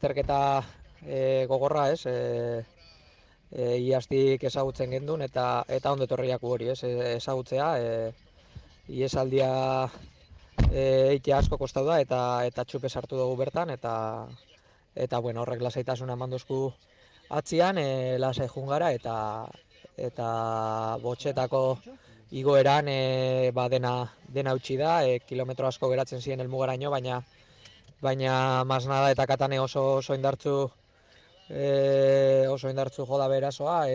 Zerketa gogorra, ez? Iaztik ezagutzen gendun eta ondo etorriak hori, ez? Ezagutzea, iesaldia eitea asko kostau da eta txupe sartu dugu bertan eta bueno, horrek lasaitasuna manduzku atzian, lasai jungara eta botxetako igoeran dena utzi da, kilometro asko geratzen ziren helmugaraino, baina Masnada eta Katane oso indartzu joda berasoa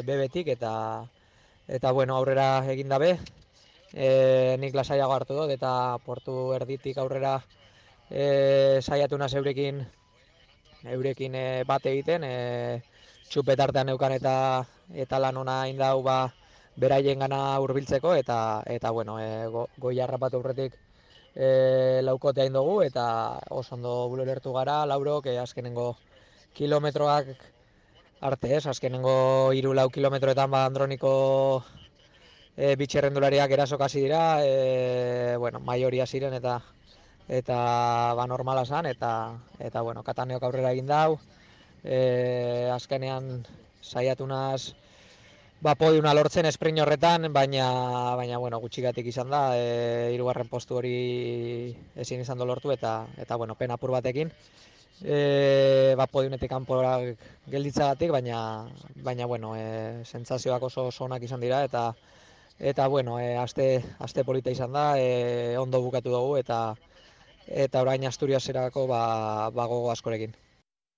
bebetik eta bueno, aurrera egin dabe. Nik lasaiago hartu dut eta portu erditik aurrera saiatu naz eurekin bat egiten, txupetartean neukan eta lan ona indau beraien gana hurbiltzeko eta bueno, goi harrapatu aurretik laukotea indogu eta oso ondo bulertu gara, laurok, azkenengo kilometroak arte, ez? Azkenengo 3-4 kilometroetan Androniko bitxerrendulariak erasok hasi dira, bueno, maioria ziren eta normala zan eta bueno, Kataneok aurrera egin dau. Azkenean saiatu naz podiuna lortzen sprint horretan, baina bueno, gutxigatik izan da, hirugarren postu hori ezin izan lortu eta bueno, pena apur batekin. Podiunetik kanpora gelditzagatik, baina bueno, sentsazioak oso onak izan dira eta bueno, aste polita izan da, ondo bukatu dugu eta orain Asturiaserako gogo askorekin.